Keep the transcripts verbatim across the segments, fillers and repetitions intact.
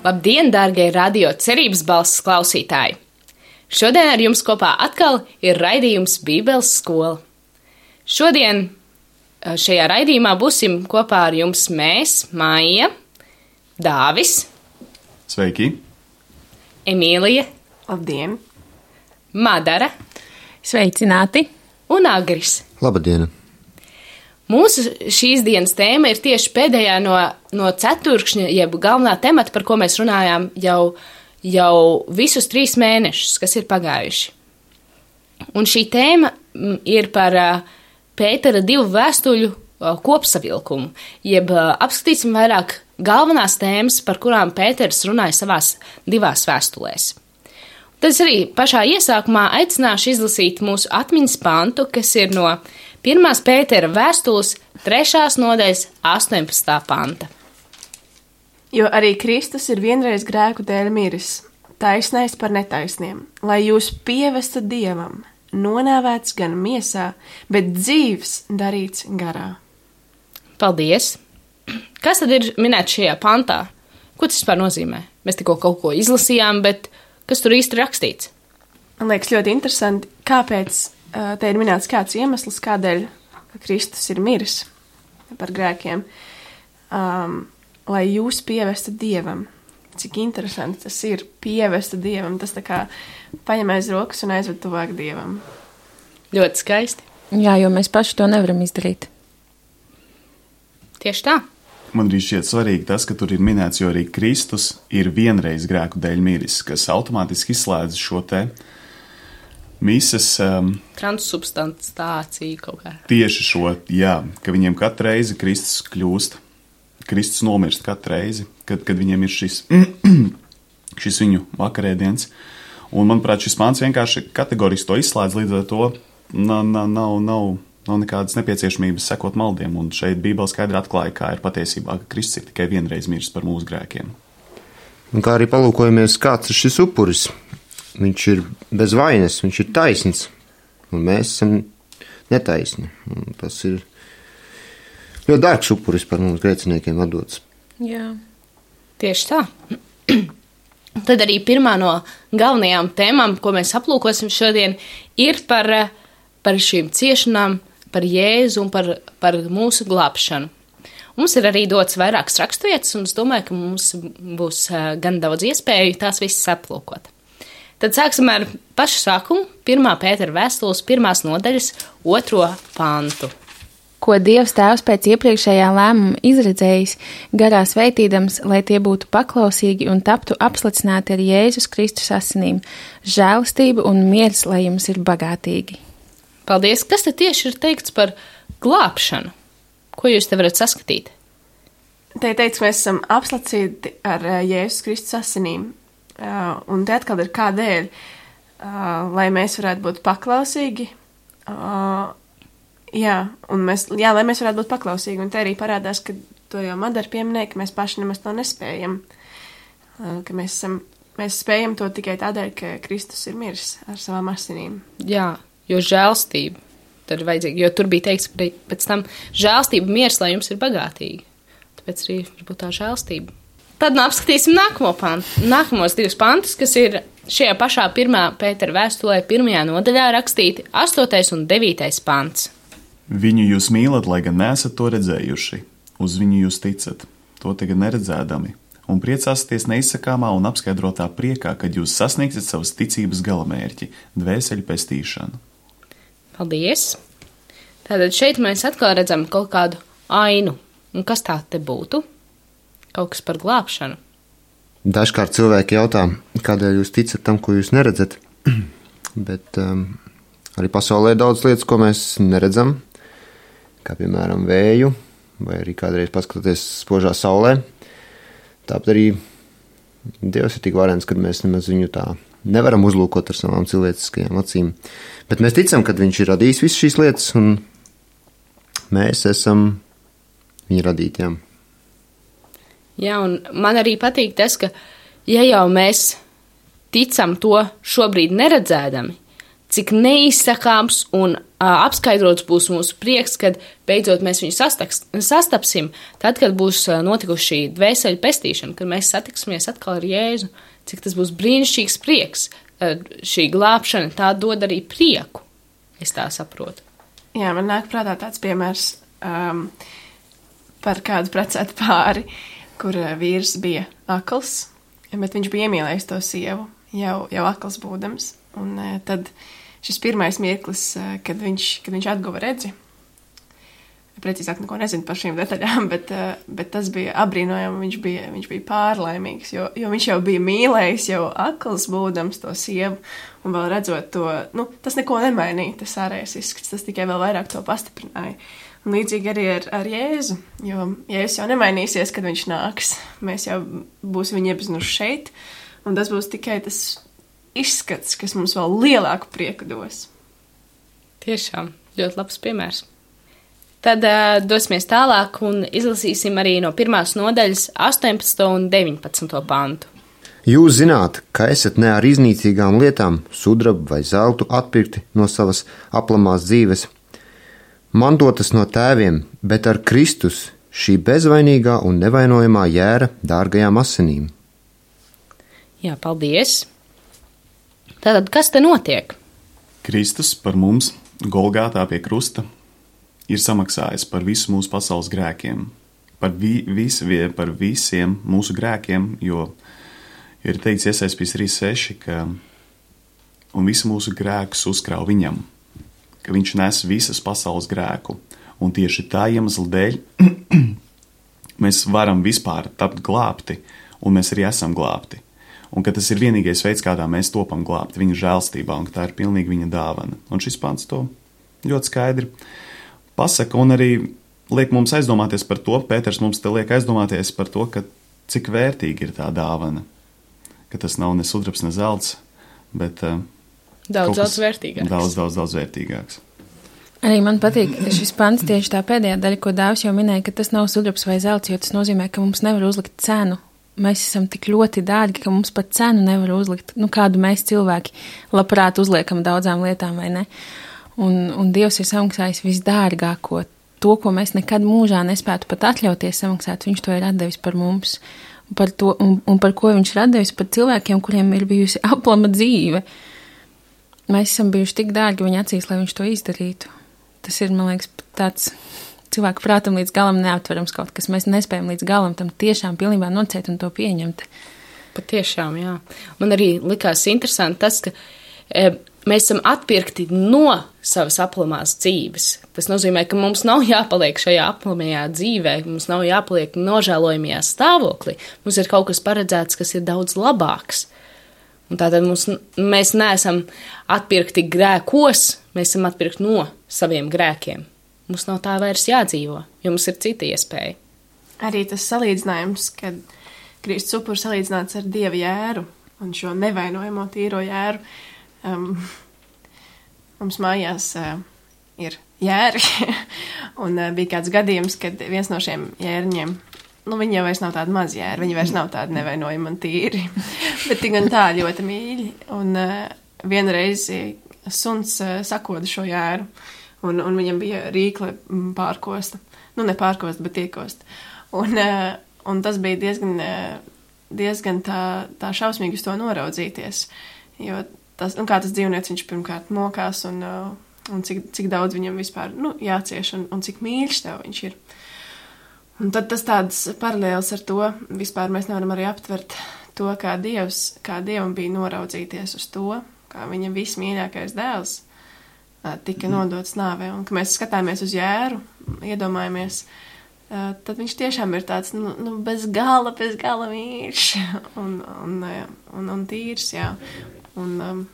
Labdien, dārgie radio cerības balss klausītāji! Šodien ar jums kopā atkal ir raidījums Bībeles skola. Šodien šajā raidījumā būsim kopā ar jums mēs, Maija, Dāvis, Sveiki, Emīlija, Labdien, Madara, Sveicināti un Agris. Labdien! Mūsu šīs dienas tēma ir tieši pēdējā no, no ceturkšņa, jeb galvenā temata, par ko mēs runājām jau, jau visus trīs mēnešus, kas ir pagājuši. Un šī tēma ir par Pētera divu vēstuļu kopsavilkumu, jeb apskatīsim vairāk galvenās tēmas, par kurām Pēters runāja savās divās vēstulēs. Tad es arī pašā iesākumā aicināšu izlasīt mūsu atmiņas pantu, kas ir no pirmās Pētera vēstules trešās nodaļas astoņpadsmitā panta. Jo arī Kristus ir vienreiz grēku dēļ miris, taisnais par netaisniem, lai jūs pievestu Dievam, nonāvēts gan miesā, bet dzīvs darīts garā. Paldies! Kas tad ir minēts šajā pantā? Ko tas vispār nozīmē? Mēs tikko kaut ko izlasījām, bet kas tur īsti rakstīts? Man liekas ļoti interesanti, kāpēc uh, te ir minēts kāds iemesls, kādēļ Kristus ir miris par grēkiem, um, lai jūs pievestu Dievam. Cik interesanti tas ir, pievestu Dievam. Tas tā kā paņem aiz rokas un aizved tuvāk Dievam. Ļoti skaisti. Jā, jo mēs paši to nevaram izdarīt. Tieši tā. Man arī šķiet svarīgi tas, ka tur ir minēts, jo arī Kristus ir vienreiz grēku dēļ miris, kas automātiski izslēdz šo te mises um, transsubstanciāciju kaut kā. Tieši šo, jā, ka viņiem katru reizi Kristus kļūst, Kristus nomirst katru reizi, kad, kad viņiem ir šis, šis viņu vakarēdiens. Un, manuprāt, šis pāns vienkārši kategoriski to izslēdz, līdz ar to nav, nav, nav, nav, nav nekādas nepieciešamības sekot maldiem. Un šeit Bībele skaidri atklāja, kā ir patiesībā, ka Kristus ir tikai vienreiz miris par mūsu grēkiem. Un kā arī palūkojamies, kāds ir šis upuris. Viņš ir bez vainas, viņš ir taisns, un mēs esam netaisni. Un tas ir ļoti dārgs upuris par mums grēciniekiem atdots. Jā. Tieši tā. Tad arī pirmā no galvenajām tēmām, ko mēs aplūkosim šodien, ir par, par šīm ciešanām, par Jēzu un par, par mūsu glābšanu. Mums ir arī dots vairākas raksturvietas, un es domāju, ka mums būs gan daudz iespēju tās visas aplūkot. Tad sāksim ar pašu sākumu, pirmā Pētera vēstules pirmās nodaļas otro pantu. Ko Dievs Tēvs pēc iepriekšējā lēmuma izredzējis, garā sveitīdams, lai tie būtu paklausīgi un taptu apslicināti ar Jēzus Kristus asinīm, žēlastība un miers, lai jums ir bagātīgi. Paldies! Kas te tieši ir teikts par glābšanu? Ko jūs te varat saskatīt? Te ir teikts, ka mēs esam apslacīti ar Jēzus Kristus asinīm. Uh, un te atkal ir kādēļ, uh, lai mēs varētu būt paklausīgi. Uh, jā, un mēs, jā, lai mēs varētu būt paklausīgi. Un te arī parādās, ka to jau Madara pieminēja, ka mēs paši nemaz to nespējam. Uh, ka mēs, esam, mēs spējam to tikai tādēļ, ka Kristus ir miris ar savām asinīm. Jā. Jo žēlstība tad ir vajadzīga, jo tur bija teikts pēc tam žēlstība, miers, lai jums ir bagātīgi. Tāpēc arī varbūt tā žēlstība. Tad nu apskatīsim nākamo pantu, nākamos divus pantus, kas ir šajā pašā pirmā Pētera vēstulē pirmajā nodaļā rakstīti astotais un devītais pants. Viņu jūs mīlat, lai gan neesat to redzējuši, uz viņu jūs ticat, to tagad neredzēdami, un priecāsieties neizsakāmā un apskaidrotā priekā, kad jūs sasniegsiet savas ticības galamērķi, dvēseļu pestīšanu. Paldies! Tātad šeit mēs atkal redzam kaut kādu ainu. Un kas tā te būtu? Kaut kas par glābšanu. Dažkārt cilvēki jautā, kādēļ jūs ticat tam, ko jūs neredzat, bet um, arī pasaulē ir daudz lietas, ko mēs neredzam, kā piemēram vēju, vai arī kādreiz paskatoties spožā saulē. Tāpat arī Dievs ir tik varens, kad mēs nemaz viņu tā nevaram uzlūkot ar savām cilvēciskajām acīm. Bet mēs ticam, ka viņš ir radījis visas šīs lietas, un mēs esam viņa radītiem. Jā, un man arī patīk tas, ka ja jau mēs ticam to šobrīd neredzēdami, cik neizsakāms un apskaidrots būs mūsu prieks, kad beidzot mēs viņu sastaks, sastapsim, tad, kad būs notikusi šī dvēseļu pestīšana, kad mēs satiksimies atkal ar Jēzu, cik tas būs brīnišķīgs prieks. Šī glābšana tā dod arī prieku, es tā saprotu. Jā, man nāk prātā tāds piemērs um, par kādu precētu pāri, kur vīrs bija akls, bet viņš bija iemīlējis to sievu, jau, jau akls būdams, un tad šis pirmais mirklis, kad viņš, kad viņš atguva redzi, precīzāk neko nezinu par šīm detaļām, bet, bet tas bija apbrīnojami, viņš bija, viņš bija pārlaimīgs, jo, jo viņš jau bija mīlējis jau akls būdams to sievu, un vēl redzot to, nu, tas neko nemainīja, tas ārējais izskats, tas tikai vēl vairāk to pastiprināja. Un līdzīgi arī ar, ar Jēzu, jo Jēzus jau nemainīsies, kad viņš nāks, mēs jau būsim viņu iepazinuši šeit, un tas būs tikai tas izskats, kas mums vēl lielāku prieku dos. Tiešām, ļoti labs piemērs. Tad uh, dosimies tālāk un izlasīsim arī no pirmās nodaļas astoņpadsmito un deviņpadsmito pantu. Jūs zināt, ka esat ne ar iznīcīgām lietām, sudrabu vai zeltu atpirkti no savas aplamās dzīves, mantotas no tēviem, bet ar Kristus, šī bezvainīgā un nevainojamā jēra dārgajām asinīm. Jā, paldies! Tātad, kas te notiek? Kristus par mums Golgātā pie krusta ir samaksājis par visu mūsu pasaules grēkiem, par, vi, vis, par visiem mūsu grēkiem, jo ir teikts Iesaistījums trīs seši, ka un visu mūsu grēkus uzkrāv viņam, ka viņš nes visas pasaules grēku, un tieši tā iemesla dēļ mēs varam vispār tapt glābti, un mēs arī esam glābti. Un ka tas ir vienīgais veids, kādā mēs topam glābti viņa žēlstībā, un ka tā ir pilnīgi viņa dāvana. Un šis pants to ļoti skaidri pasaka, un arī liek mums aizdomāties par to, Pēters mums te liek aizdomāties par to, ka cik vērtīgi ir tā dāvana, ka tas nav ne sudrabs, ne zelts, bet uh, daudz, daudz vērtīgāks. Daudz, daudz, daudz vērtīgāks. Arī man patīk šis pants tieši tā pēdējā daļa, ko Dāvis jau minēja, ka tas nav sudrabs vai zelts, jo tas nozīmē, ka mums nevar uzlikt cenu. Mēs esam tik ļoti dārgi, ka mums pat cenu nevar uzlikt, nu, kādu mēs cilvēki labprāt uzliekam daudzām lietām, vai ne? Un, un Dievs ir samaksājis visdārgāko, to, ko mēs nekad mūžā nespētu pat atļauties samaksāt, viņš to ir atdevis par mums, un par, to, un, un par ko viņš ir atdevis par cilvēkiem, kuriem ir bijusi aplama dzīve. Mēs esam bijuši tik dārgi viņa acīs, lai viņš to izdarītu. Tas ir, man liekas, tāds cilvēku prātam līdz galam neaptverams kaut kas. Mēs nespējam līdz galam tam tiešām pilnībā nocēt un to pieņemt. Pat tiešām, jā. Man arī likās interesanti tas, ka e, mēs esam atpirkti no savas aplamās dzīves. Tas nozīmē, ka mums nav jāpaliek šajā aplamajā dzīvē, mums nav jāpaliek nožēlojamajā stāvoklī. Mums ir kaut kas paredzēts, kas ir daudz labāks. Un tātad mums, mēs neesam atpirkti grēkos, mēs esam atpirkti no saviem grēkiem. Mums nav tā vairs jādzīvo, jo mums ir cita iespēja. Arī tas salīdzinājums, kad Kristus upurs salīdzināts ar Dieva jēru un šo nevainojamo tīro jēru. Um, mums mājās uh, ir jēri, un uh, bija kāds gadījums, kad viens no šiem jēriņiem, nu viņi jau vairs nav tādi maz jēri, viņi vairs nav tādi nevainojami un tīri, bet tik gan tā ļoti mīļi. Un uh, vienreiz suns uh, sakoda šo jēru. Un, un viņam bija rīkle pārkosta. Nu, ne pārkosta, bet iekosta. Un, un tas bija diezgan, diezgan tā, tā šausmīgi uz to noraudzīties. Jo tas, un kā tas dzīvnieks, viņš pirmkārt mokās un, un cik, cik daudz viņam vispār nu, jācieš un, un cik mīļš tev viņš ir. Un tad tas tāds paralēls ar to, vispār mēs nevaram arī aptvert to, kā Dievs, kā Dievam bija noraudzīties uz to, kā viņa vismīļākais dēls tika nodots nāvē, un ka mēs skatāmies uz jēru, iedomājamies, tad viņš tiešām ir tāds, nu, nu bez gala, bez gala mīļš un, un, un, un tīrs, jā. Un um,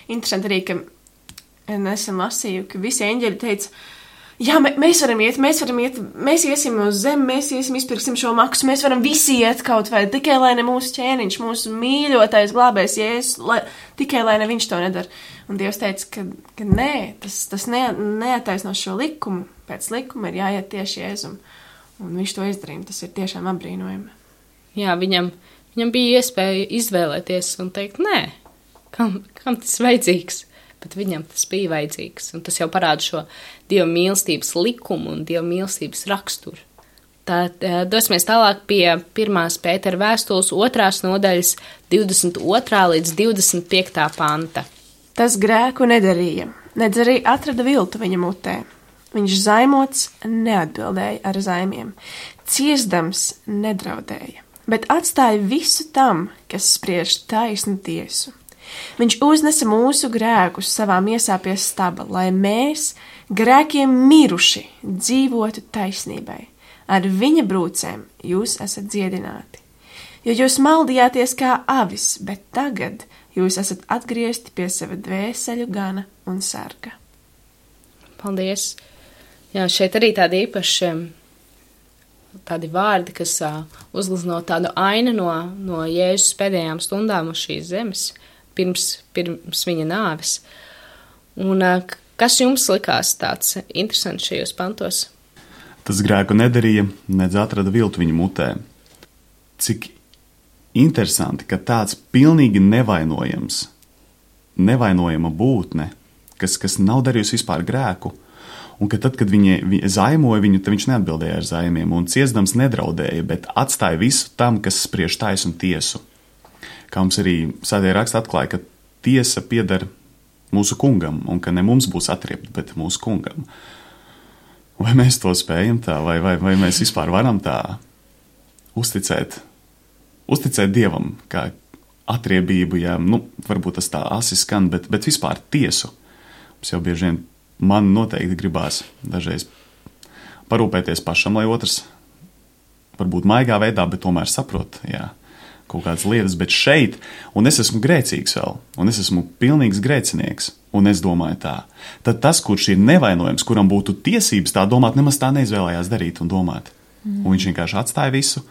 interesanti arī, ka nesen lasīju, ka visi eņģeļi teica, jā, mēs varam iet, mēs varam iet, mēs iesim uz zemi, mēs iesim, izpirksim šo maksu, mēs varam visi iet kaut vai, tikai lai ne mūsu ķēniņš, mūsu mīļotais glābējs Jēzus, lai, tikai lai ne viņš to nedara. Un Dievs teica, ka, ka nē, tas, tas ne, neataisnos šo likumu, pēc likuma ir jāiet tieši Jēzum. Un viņš to izdarīja, tas ir tiešām apbrīnojami. Jā, viņam, viņam bija iespēja izvēlēties un teikt, nē, kam, kam tas vajadzīgs? bet viņam tas bija vajadzīgs. Un tas jau parāda šo Dieva mīlestības likumu un Dieva mīlestības raksturu. Tad dosimies tālāk pie pirmās Pētera vēstules otrās nodaļas divdesmit otrā līdz divdesmit piektā panta. Tas grēku nedarīja, nedz arī atrada viltu viņa mutē. Viņš zaimots neatbildēja ar zaimiem, ciesdams nedraudēja, bet atstāja visu tam, kas spriež taisnu tiesu. Viņš uznesa mūsu grēkus savā miesā pie staba, lai mēs, grēkiem miruši, dzīvotu taisnībai. Ar viņa brūcēm jūs esat dziedināti. Jo jūs maldījāties kā avis, bet tagad jūs esat atgriezti pie sava dvēseļu gana un sarga. Paldies! Jā, šeit arī tādi īpaši tādi vārdi, kas uh, uzglezno tādu ainu no, no Jēzus pēdējām stundām uz šīs zemes, pirms, pirms viņa nāves. Un uh, kas jums likās tāds interesants šajos pantos? Tas grēku nedarīja, nedz atrada viltu viņa mutē. Cik interesanti, ka tāds pilnīgi nevainojams, nevainojama būtne, kas, kas nav darījusi vispār grēku, un ka tad, kad viņi, viņi zaimoja viņu, tad viņš neatbildēja ar zaimiem, un ciesdams nedraudēja, bet atstāja visu tam, kas spriež taisnu tiesu. Kā mums arī Svētie raksti atklāja, ka tiesa pieder mūsu kungam, un ka ne mums būs atriebta, bet mūsu kungam. Vai mēs to spējam tā, vai, vai, vai mēs vispār varam tā uzticēt, uzticēt Dievam, kā atriebību, ja, nu, varbūt tas tā asi skan, bet, bet vispār tiesu. Mums jau bieži vien man noteikti gribās dažreiz parūpēties pašam, lai otrs varbūt maigā veidā, bet tomēr saprot, jā, kaut kādas lietas, bet šeit, un es esmu grēcīgs vēl, un es esmu pilnīgs grēcinieks, un es domāju tā, tad tas, kurš ir nevainojams, kuram būtu tiesības tā domāt, nemaz tā neizvēlējās darīt un domāt. Mm. Un viņš vienkārši atstāja visu.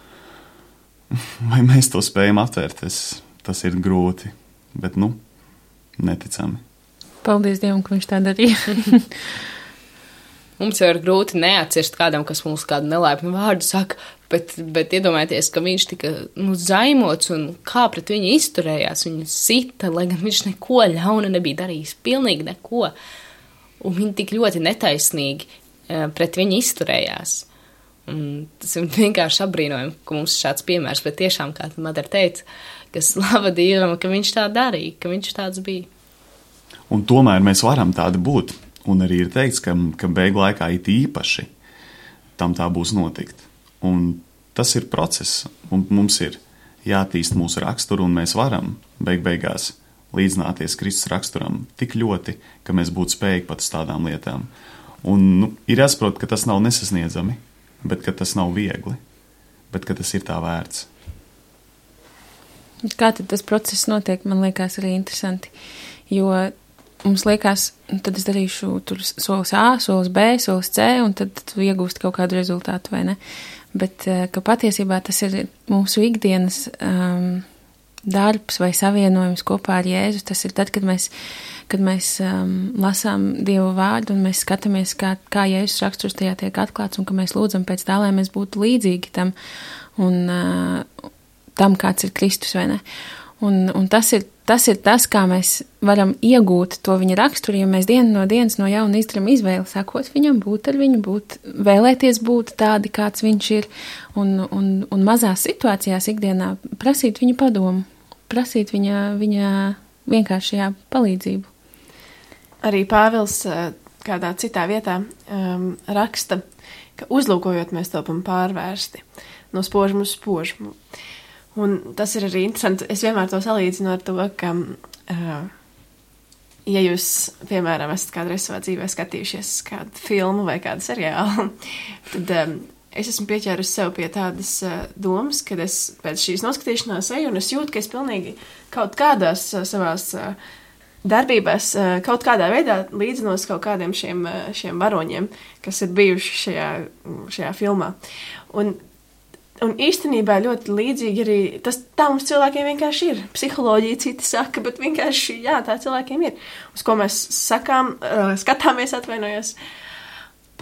Vai mēs to spējam aptvērt? Tas, tas ir grūti, bet, nu, neticami. Paldies Dievam, ka viņš tā darīja. Mums jau ir grūti neatcirst kādam, kas mums kādu nelaipnu vārdu saka, bet, bet iedomājieties, ka viņš tika nu, zaimots un kā pret viņu izturējās, viņu sita, lai gan viņš neko ļauna nebija darījis, pilnīgi neko. Un viņi tik ļoti netaisnīgi pret viņu izturējās. Un tas ir vienkārši apbrīnojami, ka mums ir šāds piemērs, bet tiešām, kā Madara teica, ka slava Dievam, ka viņš tā darīja, ka viņš tāds bija. Un tomēr mēs varam tādi būt. Un arī ir teikts, ka, ka beigu laikā it īpaši tam tā būs notikt. Un tas ir process, un mums ir jātīst mūsu raksturu, un mēs varam beig beigās līdzināties Kristus raksturam tik ļoti, ka mēs būtu spējīgi pat uz tādām lietām. Un nu, ir jāsaprot, ka tas nav nesasniedzami, bet ka tas nav viegli, bet ka tas ir tā vērts. Kā tad tas process notiek, man liekas arī interesanti, jo mums liekas, tad es darīšu tur solis A, solis B, solis C, un tad tu iegūsti kaut kādu rezultātu, vai ne? Bet ka patiesībā tas ir mūsu ikdienas um, darbs vai savienojums kopā ar Jēzu. Tas ir tad, kad mēs, kad mēs um, lasām Dieva vārdu un mēs skatāmies, kā, kā Jēzus raksturs tajā tiek atklāts un ka mēs lūdzam pēc tā, lai mēs būtu līdzīgi tam un uh, tam, kāds ir Kristus, vai ne? Un, un tas, ir, tas ir tas, kā mēs varam iegūt to viņa raksturu, ja mēs dienu no dienas no jauna izdarām izvēli, sakot viņam, būt ar viņu, būt, vēlēties būt tādi, kāds viņš ir, un, un, un mazās situācijās ikdienā prasīt viņa padomu, prasīt viņa, viņa vienkāršajā palīdzību. Arī Pāvils kādā citā vietā um, raksta, ka uzlūkojot mēs topam pārvērsti no spožumu uz spožumu. Un tas ir arī interesanti. Es vienmēr to salīdzinu ar to, ka, uh, ja jūs, piemēram, esat kādreiz savā dzīvē skatījušies kādu filmu vai kādu seriālu, tad um, es esmu pieķērusi sev pie tādas uh, domas, kad es pēc šīs noskatīšanās eju un es jūtu, ka es pilnīgi kaut kādās uh, savās uh, darbībās uh, kaut kādā veidā līdzinos kaut kādiem šiem, uh, šiem varoņiem, kas ir bijuši šajā, šajā filmā. Un Un īstenībā ļoti līdzīgi arī tas tā mums cilvēkiem vienkārši ir. Psiholoģija citi saka, bet vienkārši jā, tā cilvēkiem ir. Uz ko mēs sakām, uh, skatāmies, atvainojos.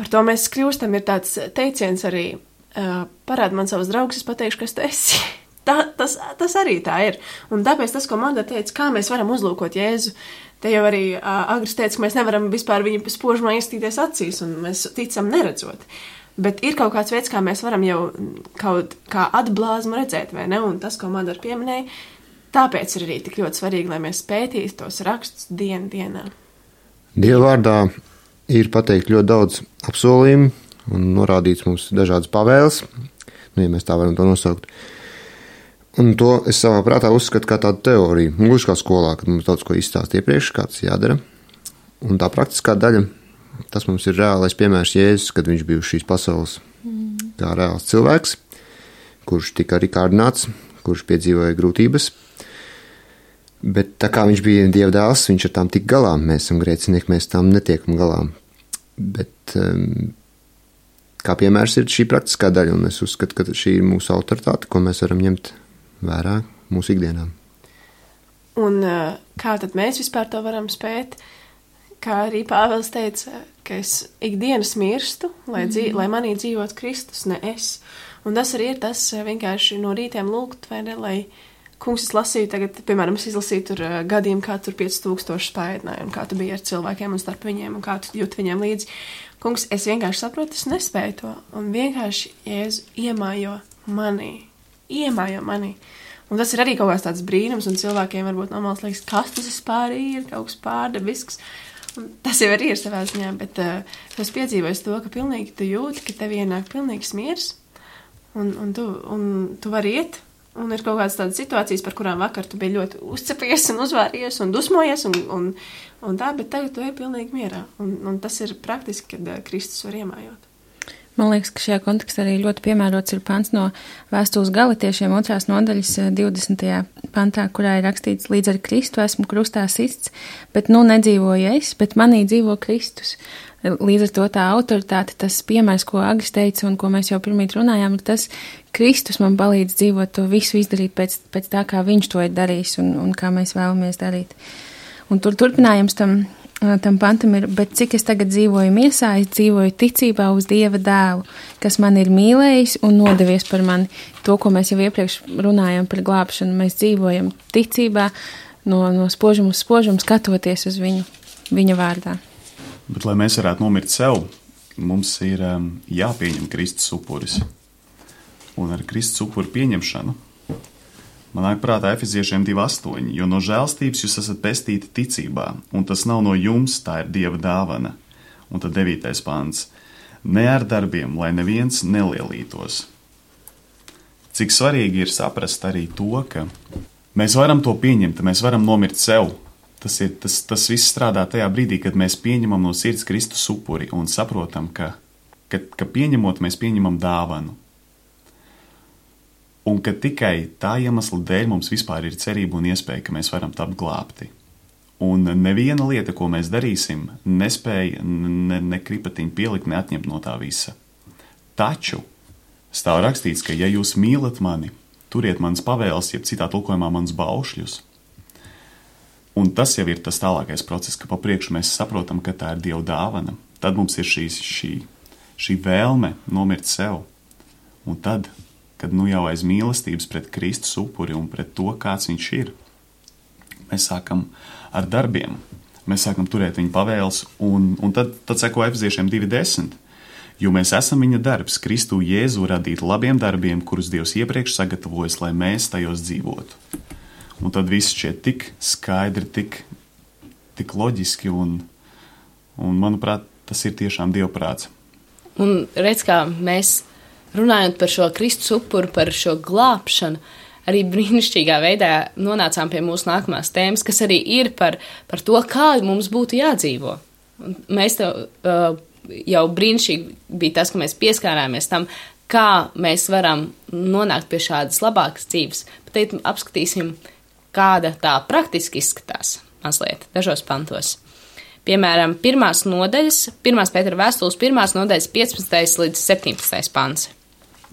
Par to mēs kļūstam, ir tāds teiciens arī, uh, parāda man savus draugus, es pateikšu, kas tu esi. tā, tas, tas arī tā ir. Un tāpēc tas, ko Manda teica, kā mēs varam uzlūkot Jēzu, te jau arī uh, Agris teica, ka mēs nevaram vispār viņu spožumā iestīties acīs, un mēs ticam neredzot. Bet ir kaut kāds veids, kā mēs varam jau kaut kā atblāzmu redzēt, vai ne? Un tas, ko Manda pieminēja, tāpēc ir arī tik ļoti svarīgi, lai mēs pētītu tos rakstus dienu dienā. Dieva vārdā ir pateikt ļoti daudz apsolījumu un norādīts mums dažādas pavēles, nu, ja mēs tā varam to nosaukt. Un to es savā prātā uzskatu kā tādu teoriju, gluži kā skolā, kad mums daudz ko izstāst iepriekš, kāds jādara. Un tā praktiskā daļa, tas mums ir reālais piemērs Jēzus, kad viņš bija uz šīs pasaules kā reāls cilvēks, kurš tika arī kārdināts, kurš piedzīvoja grūtības. Bet tā kā viņš bija Dieva dēls, viņš ar tām tik galā. Mēs esam grēcinieki, mēs tām netiekam galā. Bet um, kā piemērs ir šī praktiskā daļa, un es uzskatu, ka šī ir mūsu autoritāte, ko mēs varam ņemt vērā mūsu ikdienā. Un uh, kā tad mēs vispār to varam spēt? Kā arī Pāvils teica, ka es ikdienas mirstu, lai, dzīv, mm. lai manī dzīvot Kristus, ne es. Un tas arī ir tas vienkārši no rītiem lūgt, vai ne, lai kungs es lasīju tagad, piemēram, es izlasīju tur uh, gadiem, kā tur pieci tūkstoši spēdināja, un kā tu biji ar cilvēkiem un starp viņiem, un kā tu jūt viņiem līdzi. Kungs, es vienkārši saprotu, es nespēju to, un vienkārši Jēzu iemājo manī, iemājo manī. Un tas ir arī kaut kāds tāds brīnums, un cilvēkiem varbūt normāls liekas, kas tas vispār ir, kaut kas pārdabisks. Un tas jau arī ir savā ziņā, bet uh, es piedzīvoju to, ka pilnīgi tu jūti, ka tev ienāk pilnīgs miers, un, un, tu, un tu vari iet. Un ir kaut kādas tādas situācijas, par kurām vakar tu biji ļoti uzcepies un uzvāries un dusmojies un, un, un tā, bet tagad tu ej pilnīgi mierā. Un, un tas ir praktiski, kad uh, Kristus var iemājot. Man liekas, ka šajā kontekstā arī ļoti piemērots ir pants no vēstules Galatiešiem otrās nodaļas divdesmitajā pantā, kurā ir rakstīts: līdz ar Kristu esmu krustā sists, bet nu nedzīvoju es, bet manī dzīvo Kristus. Līdz ar to tā autoritāte, tas piemērs, ko Agris teica un ko mēs jau pirmīt runājām, ir tas, Kristus man palīdz dzīvot to visu izdarīt pēc, pēc tā, kā viņš to ir darījis un, un kā mēs vēlamies darīt. Un tur turpinājums tam, tam pantam ir, bet cik es tagad dzīvoju miesā, es dzīvoju ticībā uz Dieva dēlu, kas man ir mīlējis un nodevies par mani. To, ko mēs jau iepriekš runājam par glābšanu, mēs dzīvojam ticībā no, no spožuma uz spožumu, skatoties uz viņu, viņa vārdā. Bet, lai mēs varētu nomirt sev, mums ir um, jāpieņem Kristus upuris. Un ar Kristus upuri pieņemšanu man nāk prātā Efeziešiem divi astoņi, jo no žēlstības jūs esat pestīti ticībā, un tas nav no jums, tā ir Dieva dāvana. Un tad devītais pants. Ne ar darbiem, lai neviens nelielītos. Cik svarīgi ir saprast arī to, ka mēs varam to pieņemt, mēs varam nomirt sev. Tas, ir, tas, tas viss strādā tajā brīdī, kad mēs pieņemam no sirds Kristus upuri un saprotam, ka, ka, ka pieņemot, mēs pieņemam dāvanu. Un ka tikai tā iemesla dēļ mums vispār ir cerība un iespēja, ka mēs varam tapt glābti. Un neviena lieta, ko mēs darīsim, nespēja ne, ne kripatiņu pielikt, ne atņemt no tā visa. Taču stāv rakstīts, ka ja jūs mīlat mani, turiet manas pavēles, jeb citā tulkojumā manas baušļus. Un tas jau ir tas tālākais process, ka pa priekšu mēs saprotam, ka tā ir Dieva dāvana. Tad mums ir šīs, šī, šī vēlme nomirt sev. Un tad, kad nu jau aiz mīlestības pret Kristus upuri un pret to, kāds viņš ir, mēs sākam ar darbiem. Mēs sākam turēt viņa pavēles, un, un tad, tad seko Efeziešiem divi desmit. Jo mēs esam viņa darbs, Kristu Jēzu radīt labiem darbiem, kurus Dievs iepriekš sagatavojas, lai mēs tajos dzīvotu. Un tad viss šķiet tik skaidri, tik, tik loģiski, un, un, manuprāt, tas ir tiešām Dievprāts. Un redz, kā mēs runājot par šo Kristus upuru, par šo glābšanu, arī brīnišķīgā veidā nonācām pie mūsu nākamās tēmas, kas arī ir par, par to, kā mums būtu jādzīvo. Un mēs tev, uh, jau brīnišķīgi bija tas, ka mēs pieskārāmies tam, kā mēs varam nonākt pie šādas labākas dzīves. Bet teikt, apskatīsim, kāda tā praktiski izskatās mazliet dažos pantos. Piemēram, pirmās nodaļas, pirmās Pētera vēstules, pirmās nodaļas piecpadsmitais līdz septiņpadsmitais pants.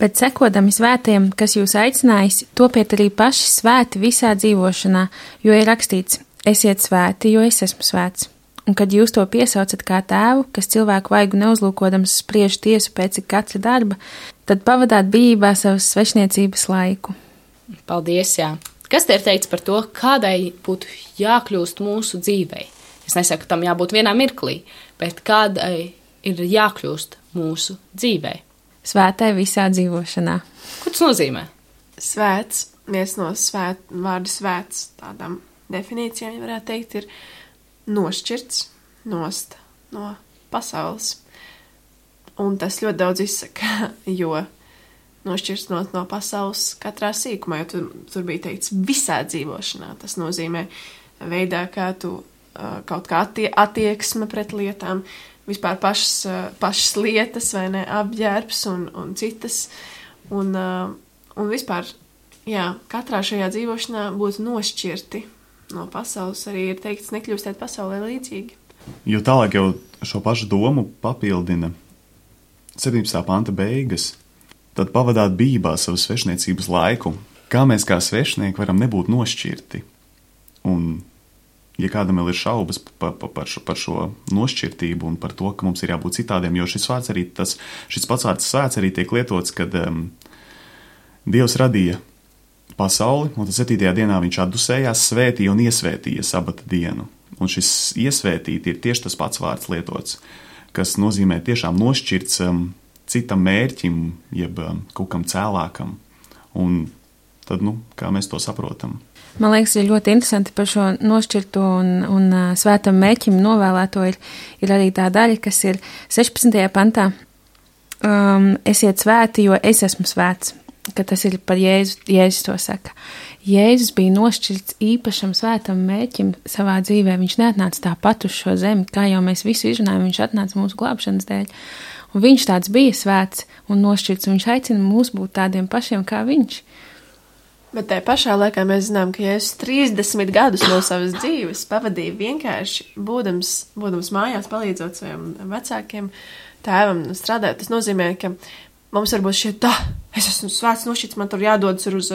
Bet sekodami svētiem, kas jūs aicinājis, topiet arī paši svēti visā dzīvošanā, jo ir rakstīts: esiet svēti, jo es esmu svēts. Un kad jūs to piesaucat kā tēvu, kas cilvēku vaigu neuzlūkodams spriež tiesu pēc katra darba, tad pavadāt bijībā savas svešniecības laiku. Paldies, jā. Kas te ir teikts par to, kādai būtu jākļūst mūsu dzīvei? Es nesaku, tam jābūt vienā mirklī, bet kādai ir jākļūst mūsu dzīvei? Svētai visā dzīvošanā. Ko tas nozīmē? Svēts, viens no svēt, vārdu svēts tādām definīcijām, ja varētu teikt, ir nošķirts nost no pasaules. Un tas ļoti daudz izsaka, jo nošķirts no, no pasaules katrā sīkumā, jo tur, tur bija teikts visā dzīvošanā. Tas nozīmē veidā, kā tu uh, kaut kā attie, attieksme pret lietām, vispār pašas, uh, pašas lietas, vai ne, apģērbs un, un citas. Un, uh, un vispār, jā, katrā šajā dzīvošanā būtu nošķirti no pasaules. Arī ir teikts, nekļūstiet pasaulē līdzīgi. Jo tālāk jau šo pašu domu papildina septiņpadsmitā panta beigas. Tad pavadāt bībā savu svešniecības laiku, kā mēs kā svešnieki varam nebūt nošķirti. Un, ja kādam vēl ir šaubas par, par, par, šo, par šo nošķirtību un par to, ka mums ir jābūt citādiem, jo šis vārds arī, tas, šis pats vārds svēts arī tiek lietots, kad um, Dievs radīja pasauli, un tad septītajā dienā viņš atdusējās, svētīja un iesvētīja sabata dienu. Un šis iesvētīt ir tieši tas pats vārds lietots, kas nozīmē tiešām nošķirts um, citam mērķim, jeb kaut kam cēlākam. Un tad, nu, kā mēs to saprotam? Man liekas, ir ļoti interesanti par šo nošķirto un, un uh, svētam mērķim novēlēto ir, ir arī tā daļa, kas ir sešpadsmitajā pantā. Um, esiet svēti, jo es esmu svēts, ka tas ir par Jēzu, Jēzus to saka. Jēzus bija nošķirts īpašam svētam mērķim savā dzīvē. Viņš neatnāca tāpat uz šo zemi, kā jau mēs visu izrunājam, viņš atnāca mūsu glābšanas dēļ. Un viņš tāds bija svēts un nošķirts, un viņš aicina mūs būt tādiem pašiem kā viņš. Bet tajā pašā laikā mēs zinām, ka Jēzus trīsdesmit gadus no savas dzīves pavadīja vienkārši būdams, būdams mājās, palīdzot saviem vecākiem, tēvam strādāt. Tas nozīmē, ka mums varbūt šķiet, tā, es esmu svēts nošķirts, man tur jādodas uz,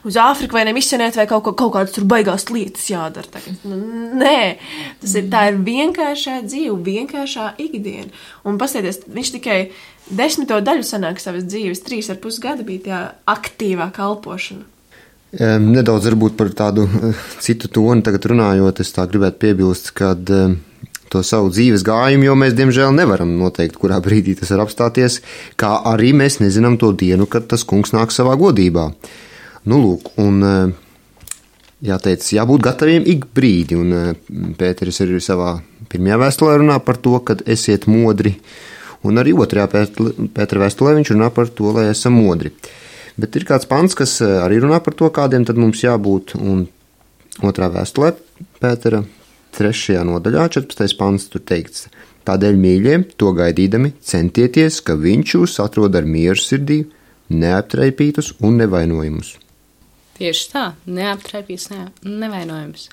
uz Āfriku vai ne misionēt, vai kaut, kaut kādas tur baigās lietas jādara tagad. Nē, tas ir, tā ir vienkāršā dzīve, vienkāršā ikdiena. Un pastieties, viņš tikai desmito daļu sanāk savas dzīves, trīs ar pus gada bija tā aktīvā kalpošana. Nedaudz varbūt par tādu citu tonu tagad runājot, es tā gribētu piebilst, kad to savu dzīves gājumu, jo mēs, diemžēl, nevaram noteikt, kurā brīdī tas var apstāties, kā arī mēs nezinām to dienu, kad tas kungs nāk savā godībā. Nu, lūk, un jāteic, jābūt gataviem ik brīdi, un Pēteris arī savā pirmajā vēstulē runā par to, kad esiet modri, un arī otrajā Pētera vēstulē viņš runā par to, lai esam modri. Bet ir kāds pants, kas arī runā par to, kādiem tad mums jābūt, un otrā vēstulē Pētera trešajā nodaļā, četrpadsmitais pants, tur teikts: tādēļ, mīļie, to gaidīdami, centieties, ka viņš jūs atrod ar mieru sirdī, neaptraipītus un nevainojumus. Tieši tā, neaptraipītus, ne, nevainojumus.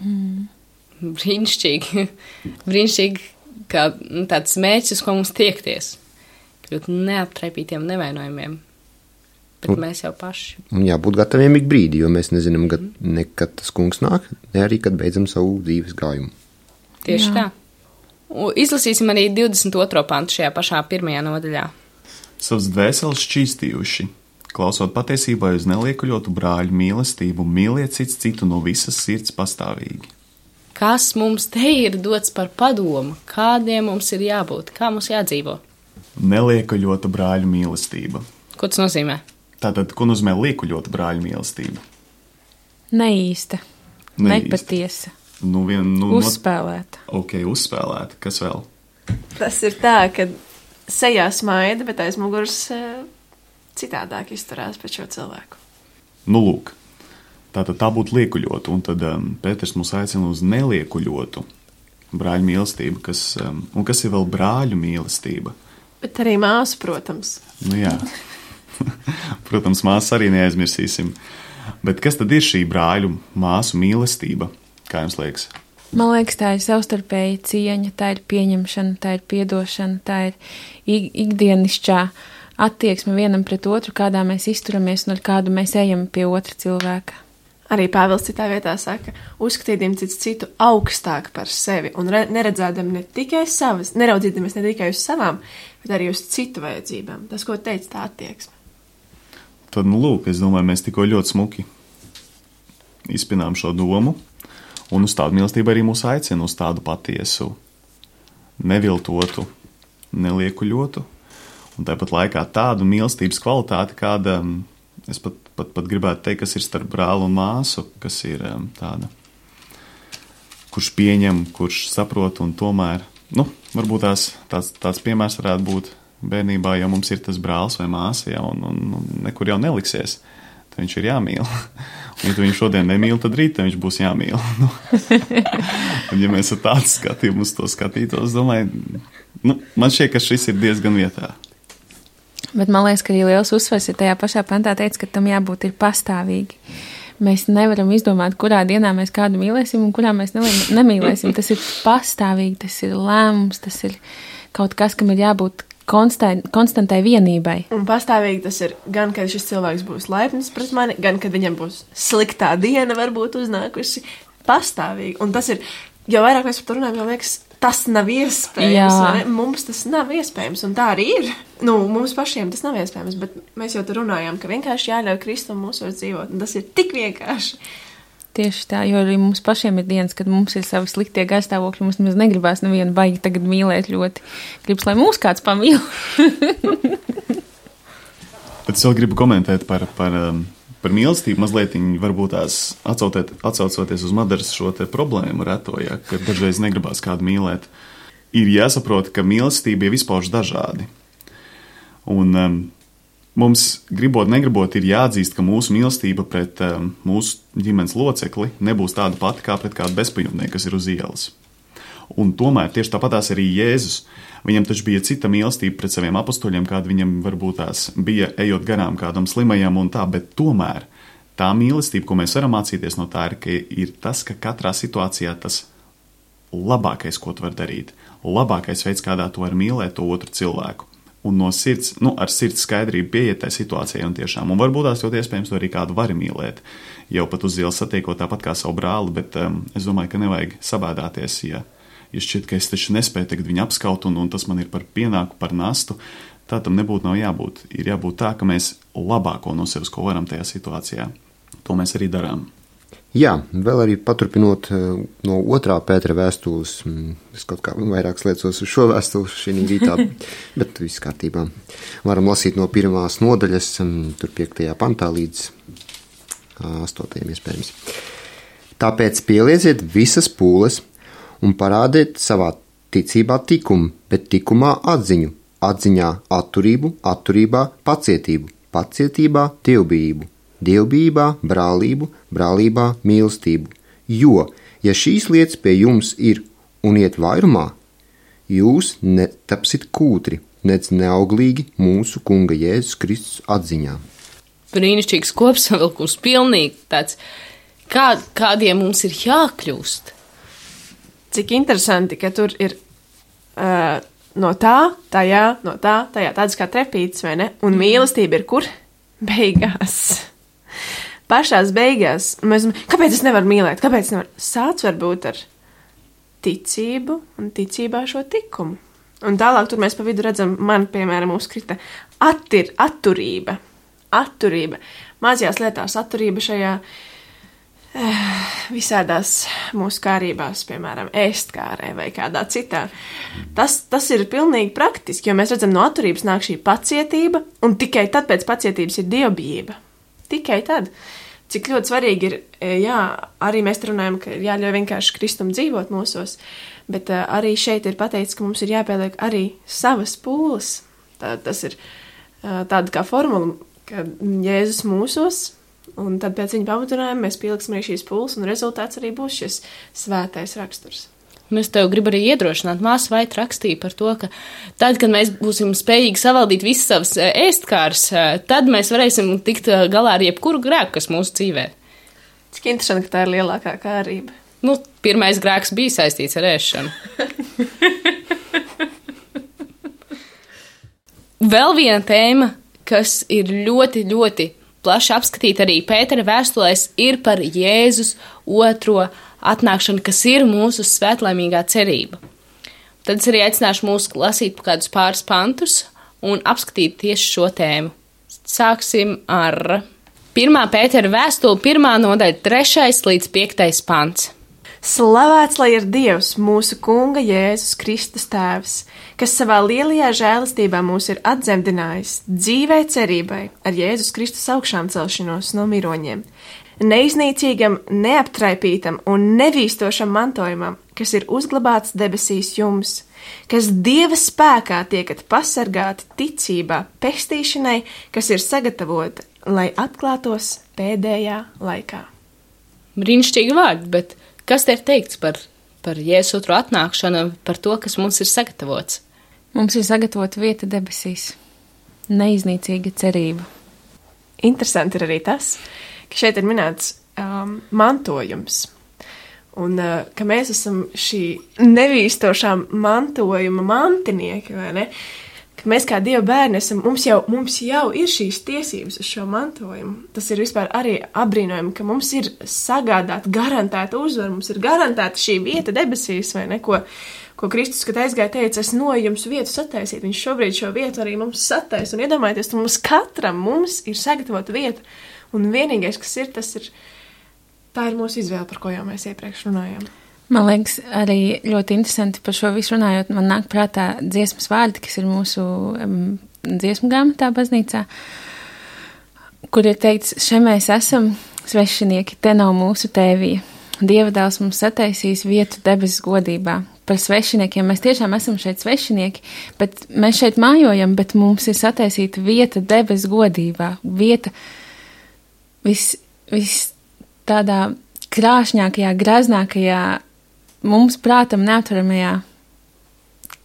Mm. Brīnišķīgi, brīnišķīgi, kā tāds mērķis, uz ko mums tiekties. Kļūt neaptraipītiem, nevainojumiem. Bet un, mēs jau paši. Un jābūt gataviem ik brīdi, jo mēs nezinām, kad, ne kad tas kungs nāk, ne arī, kad beidzam savu dzīves gājumu. Tieši Jā. tā. Un izlasīsim arī divdesmit otro pantu šajā pašā pirmajā nodaļā. Savas dvēseles šķīstījuši, klausot patiesībai uz neliekuļotu brāļu mīlestību, mīliet cits citu no visas sirds pastāvīgi. Kas mums te ir dots par padomu? Kādiem mums ir jābūt? Kā mums jādzīvo? Neliekuļota brāļu mīlestība. Ko tas nozīmē? Tātad, ko nozīmē liekuļota brāļu mīlestība? Neīsta. Neīsta. Nepatiesa. Nu, vien, nu, uzspēlēta. No... Ok, uzspēlēta. Kas vēl? Tas ir tā, ka sejā smaida, bet aiz muguras citādāk izturās pret šo cilvēku. Nu, lūk. Tātad tā būtu liekuļota, un tad um, Pēters mūs aicina uz neliekuļotu brāļu mīlestību, kas, um, un kas ir vēl brāļu mīlestība? Bet arī māsu, protams. Nu jā. Protams, māsas arī neaizmirsīsim. Bet kas tad ir šī brāļu māsu mīlestība? Kā jums liekas? Man liekas, tā ir savstarpēja cieņa, tā ir pieņemšana, tā ir piedošana, tā ir ikdienišķā attieksme vienam pret otru, kādā mēs izturamies un ar kādu mēs ejam pie otra cilvēka. Arī Pāvils citā vietā saka, uzskatīdam cits citu augstāk par sevi un re- neredzēdam ne tikai savas, neraudzīdamies ne tikai uz savām, bet arī uz citu vajadzībām. Tas, ko teica, tā attieksme. tad, nu, lūk, es domāju, mēs tikko ļoti smuki izpinām šo domu, un uz tādu mīlestību arī mūs aicina, uz tādu patiesu, neviltotu, neliekuļotu, un tāpat laikā tādu mīlestības kvalitāti, kāda, es pat, pat, pat gribētu teikt, kas ir starp brāli un māsu, kas ir tāda, kurš pieņem, kurš saprot, un tomēr, nu, varbūt tās, tāds, tāds piemērs varētu būt bērnībā, ja mums ir tas brālis vai māsa, ja, un, un, un nekur jau neliksies, tad viņš ir jāmīl. Un, ja tu viņu šodien nemīl, tad rīt viņš būs jāmīl. Nu. Un, ja mēs ar tādu skatījumu uz to skatītos, domāju, nu, man šķiet, ka šis ir diezgan vietā. Bet man liekas, ka arī liels uzsvars ir tajā pašā pantā teica, ka tam jābūt ir pastāvīgi. Mēs nevaram izdomāt, kurā dienā mēs kādu mīlēsim un kurā mēs nemīlēsim. Tas ir pastāvīgi, tas ir lēmums, tas ir kaut kas, kam ir jābūt konstant, konstantai vienībai. Un pastāvīgi tas ir gan, kad šis cilvēks būs laipnis pret mani, gan, kad viņam būs sliktā diena varbūt uznākusi pastāvīgi. Un tas ir, jo vairāk mēs par to runājam, jo liekas, tas nav iespējams. Mums tas nav iespējams, un tā arī ir. Nu, mums pašiem tas nav iespējams, bet mēs jau tur runājām, ka vienkārši jāļauj Kristum mūsos dzīvot, un tas ir tik vienkārši. Tieši tā, jo arī mums pašiem ir dienas, kad mums ir savi sliktie garstāvokļi, mums nemaz negribās nevienu baigi tagad mīlēt ļoti. Gribas, lai mūs kāds pamīl. Bet es vēl gribu komentēt par, par, par mīlestību, mazliet varbūt tās atsaucoties uz Madaras šo te problēmu reto, ja, ka dažreiz negribās kādu mīlēt. Ir jāsaprot, ka mīlestība ir vispār dažādi. Un um, mums, gribot, negribot, ir jāatzīst, ka mūsu mīlestība pret um, mūsu ģimenes locekli nebūs tāda pati kā pret kādu bezpajumtnieku, kas ir uz ielas. Un tomēr tieši tāpatās arī Jēzus. Viņam taču bija cita mīlestība pret saviem apustuļiem, kāda viņam varbūt tās bija ejot garām kādam slimajam un tā, bet tomēr tā mīlestība, ko mēs varam mācīties no tā, ir, ka ir tas, ka katrā situācijā tas labākais, ko tu vari darīt, labākais veids, kādā tu vari mīlēt to otru cilvēku. Un no sirds, nu, ar sirds skaidrību pieiet tai situācijai un tiešām. Un varbūt tās ļoti iespējams to arī kādu vari mīlēt, jau pat uz ielas satiekot tāpat kā savu brāli, bet um, es domāju, ka nevajag sabēdāties, ja, ja šķiet, ka es taču nespēju tagad viņu apskaut un, un tas man ir par pienāku, par nastu. Tā tam nebūtu nav jābūt. Ir jābūt tā, ka mēs labāko no sevis, ko varam tajā situācijā, to mēs arī darām. Jā, vēl arī paturpinot no otrā Pētera vēstules, es kaut kā vairākas liecos uz šo vēstuli šī rītā, bet viss kārtībā. Varam lasīt no pirmās nodaļas, tur piektajā pantā līdz astotajam iespējams. Tāpēc pielieciet visas pūles un parādiet savā ticībā tikumu, bet tikumā atziņu, atziņā atturību, atturībā pacietību, pacietībā dievbijību. Dievbijībā, brālību, brālībā, mīlestību. Jo, ja šīs lietas pie jums ir un iet vairumā, jūs netapsit kūtri, nec neauglīgi mūsu kunga Jēzus Kristus atziņā. Brīnišķīgs kopsavilkums, pilnīgi tāds, kā, kādiem mums ir jākļūst. Cik interesanti, ka tur ir uh, no tā, tajā, no tā, tajā, tādas kā trepītes, vai ne? Un mīlestība ir kur? Beigās. Pašās beigās, mēs, kāpēc es nevaru mīlēt, kāpēc es nevaru? Sāc varbūt ar ticību un ticībā šo tikumu. Un tālāk tur mēs pa vidu redzam, man, piemēram, uzkrita attir, atturība, atturība, mazajās lietās atturība šajā eh, visādās mūsu kārībās, piemēram, ēstkārē vai kādā citā. Tas, tas ir pilnīgi praktiski, jo mēs redzam, no atturības nāk šī pacietība, un tikai tad pēc pacietības ir dievbijība. Tikai tad, cik ļoti svarīgi ir, jā, arī mēs runājam, ka ir jāļauj vienkārši Kristum dzīvot mūsos, bet uh, arī šeit ir pateicis, ka mums ir jāpieliek arī savas pūles. Tā, tas ir uh, tāda kā formula, ka Jēzus mūsos, un tad pēc viņa pamatunājuma mēs pieliksim arī šīs pūles, un rezultāts arī būs šis svētais raksturs. Un es tev gribu arī iedrošināt, māsa Vaita rakstīja par to, ka tad, kad mēs būsim spējīgi savaldīt visas savas ēstkāras, tad mēs varēsim tikt galā ar jebkuru grēku, kas mūsu dzīvē. Cik interesanti, ka tā ir lielākā kārība. Nu, pirmais grēks bija saistīts ar ēšanu. Vēl viena tēma, kas ir ļoti, ļoti plaši apskatīta arī Pētera vēstulēs, ir par Jēzus otro atnākšanu, kas ir mūsu svētlaimīgā cerība. Tad es arī aicināšu mūs lasīt kādus pāris pantus un apskatīt tieši šo tēmu. sāksim ar pirmā Pētera vēstuli, pirmā nodaļa, trešais līdz piektais pants. Slavēts lai ir Dievs, mūsu Kunga Jēzus Kristus tēvs, kas savā lielajā žēlastībā mūs ir atdzemdinājis dzīvē cerībai ar Jēzus Kristus augšām celšanos no miroņiem, neiznīcīgam, neaptraipītam un nevīstošam mantojumam, kas ir uzglabāts debesīs jums, kas Dieva spēkā tiekat pasargāti ticībā, pestīšanai, kas ir sagatavota, lai atklātos pēdējā laikā. Brīnišķīgi vārdi, bet kas te ir teikts par, par Jēzus otro atnākšanu, par to, kas mums ir sagatavots? Mums ir sagatavota vieta debesīs, neiznīcīga cerība. Interesanti ir arī tas, ka šeit ir minēts um, mantojums, un uh, ka mēs esam šī nevīstošā mantojuma mantinieki, vai ne? Ka mēs kā Dieva bērni esam, mums jau, mums jau ir šīs tiesības uz šo mantojumu. Tas ir vispār arī apbrīnojami, ka mums ir sagādāta, garantēta uzvara, mums ir garantēta šī vieta debesīs, vai ne, ko, ko Kristus, kad aizgāja, teica, es no jums vietu sataisīt. Viņš šobrīd šo vietu arī mums sataisa, un iedomājieties, ka mums katram mums ir sagatavota vieta, un vienīgais, kas ir, tas ir, tā ir mūsu izvēle, par ko jau mēs iepriekš runājām. Man liekas, arī ļoti interesanti par šo visu runājot, man nāk prātā dziesmas vārdi, kas ir mūsu um, dziesmu grāmatā baznīcā, kur ir teikts, še mēs esam svešinieki, te nav mūsu tēvija. Dieva dēls mums sataisīs vietu debesu godībā. Par svešiniekiem mēs tiešām esam šeit svešinieki, bet mēs šeit mājojam, bet mums ir sataisīta vieta debesu godībā. Vieta vis, vis tādā krāšņākajā, graznākajā, mums prātam neaptveramajā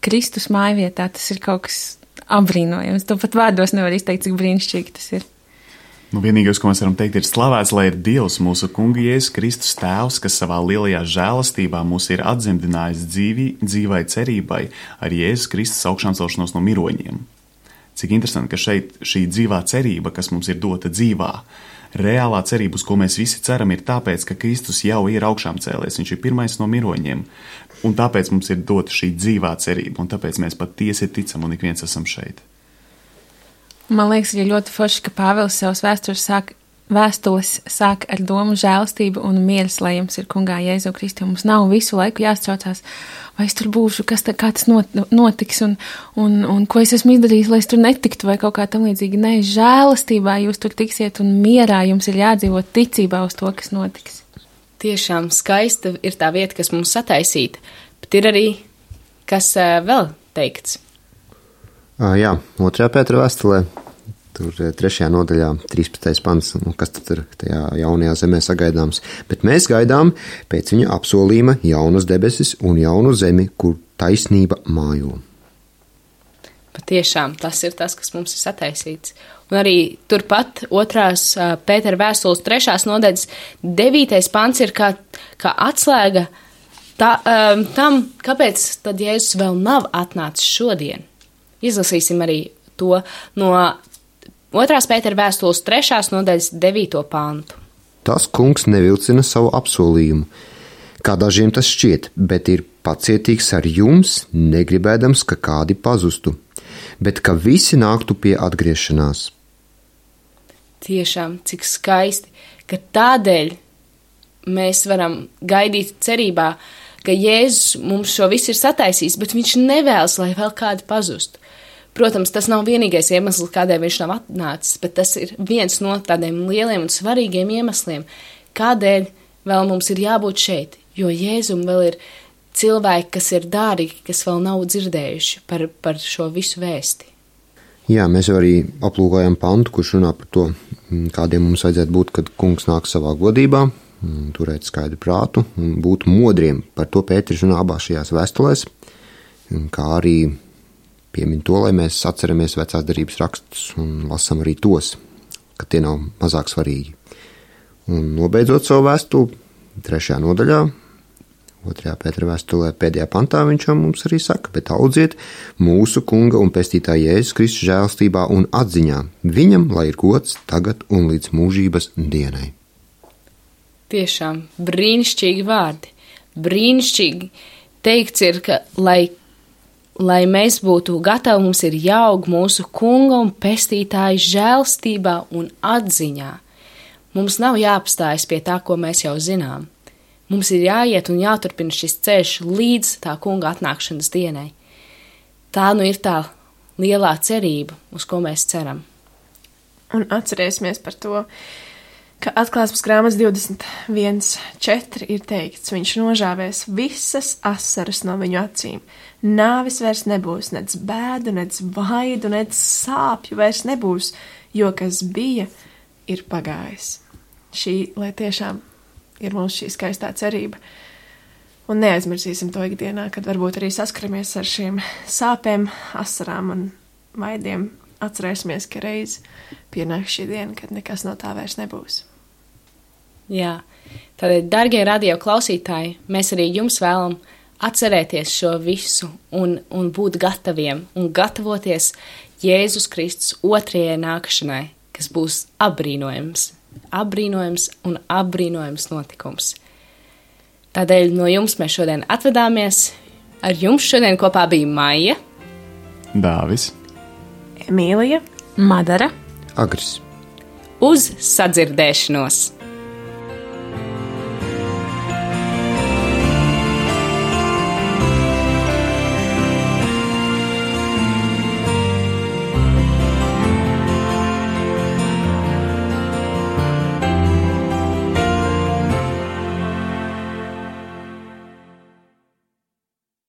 Kristus mājvietā. Tas ir kaut kas apbrīnojams. To pat vārdos nevar izteikt, cik brīnišķīgi tas ir. Nu, vienīgais, ko mēs varam teikt, ir slavēts, lai ir Dievs, mūsu Kunga Jēzus Kristus tēvs, kas savā lielajā žēlastībā mūs ir atzemdinājis dzīvi, dzīvai cerībai ar Jēzus Kristus augšām celšanos no miroņiem. Cik interesanti, ka šeit šī dzīvā cerība, kas mums ir dota dzīvā, reālā cerība, uz ko mēs visi ceram, ir tāpēc, ka Kristus jau ir augšām cēlies, viņš ir pirmais no miroņiem, un tāpēc mums ir dota šī dzīvā cerība, un tāpēc mēs patiesi ticam, un ik viens esam šeit. Man liekas, ir ļoti forši, ka Pāvils savus vēstures sāk, vēstules sāk ar domu žēlastību un mieras, lai jums ir Kungā Jēzu Kristu. Mums nav visu laiku jāstraucās, vai es tur būšu, kas tā, kā tas notiks, un, un, un ko es esmu izdarījis, lai es tur netiktu, vai kaut kā tam līdzīgi. Nē, žēlastībā jūs tur tiksiet, un mierā jums ir jādzīvot ticībā uz to, kas notiks. Tiešām skaista ir tā vieta, kas mums sataisīta, bet ir arī, kas uh, vēl teikts. À, jā, otrajā Pētera vēstulē, tur trešajā nodaļā, trīspadsmitais pants, nu, kas tad ir tajā jaunajā zemē sagaidāms. Bet mēs gaidām pēc viņa apsolījuma jaunas debesis un jaunu zemi, kur taisnība mājo. Patiešām tas ir tas, kas mums ir sataisīts. Un arī turpat otrās Pētera vēstules trešās nodaļas devītais pants ir kā, kā atslēga tā, um, tam, kāpēc tad Jēzus vēl nav atnācis šodien. Izlasīsim arī to no otrās Pētera vēstules trešās nodaļas devīto pantu. Tas kungs nevilcina savu apsolījumu, kā dažiem tas šķiet, bet ir pacietīgs ar jums, negribēdams, ka kādi pazustu, bet ka visi nāktu pie atgriešanās. Tiešām, cik skaisti, ka tādēļ mēs varam gaidīt cerībā, ka Jēzus mums šo visu ir sataisījis, bet viņš nevēlas, lai vēl kādi pazustu. Protams, tas nav vienīgais iemesls, kādēļ viņš nav atnācis, bet tas ir viens no tādiem lieliem un svarīgiem iemesliem, kādēļ vēl mums ir jābūt šeit, jo Jēzum vēl ir cilvēki, kas ir dārgi, kas vēl nav dzirdējuši par, par šo visu vēsti. Jā, mēs jau arī aplūkojam pantu, kurš runā par to, kādiem mums vajadzētu būt, kad kungs nāk savā godībā, turēt skaidru prātu un būt modriem. Par to Pēters runā abās šajās vēstulēs, kā arī piemin to, lai mēs atceramies vecās derības rakstus un lasam arī tos, ka tie nav mazāk svarīgi. Un nobeidzot savu vēstuli, trešajā nodaļā, otrajā Pētera vēstulē, pēdējā pantā viņš jau mums arī saka, bet audziet mūsu Kunga un pestītāja Jēzus Kristus žēlstībā un atziņā. Viņam lai ir gods tagad un līdz mūžības dienai. Tiešām brīnišķīgi vārdi. Brīnišķīgi teikts ir, ka lai lai mēs būtu gatavi, mums ir jāaug mūsu kunga un pestītāja žēlstībā un atziņā. Mums nav jāapstājas pie tā, ko mēs jau zinām. Mums ir jāiet un jāturpina šis ceļš līdz tā kunga atnākšanas dienai. Tā nu ir tā lielā cerība, uz ko mēs ceram. Un atcerēsimies par to, ka atklāsmes grāmatas divdesmit viens četri ir teikts, viņš nožāvēs visas asaras no viņu acīm. Nāvis vairs nebūs, nec bēdu, nec vaidu, nec sāpju vairs nebūs, jo kas bija, ir pagājis. Šī, lai tiešām ir mums šī skaistā cerība. Un neaizmirsīsim to ikdienā, kad varbūt arī saskaramies ar šīm sāpēm, asarām un vaidiem. Atcerēsimies, ka reiz pienāks šī diena, kad nekas no tā vairs nebūs. Jā, tad, dargie radio klausītāji, mēs arī jums vēlam atcerēties šo visu un, un būt gataviem un gatavoties Jēzus Kristus otrajai nākšanai, kas būs apbrīnojams, apbrīnojams un apbrīnojams notikums. Tādēļ no jums mēs šodien atvedāmies. Ar jums šodien kopā bija Maija, Dāvis, Emīlija, Madara. Agris. Uz sadzirdēšanos!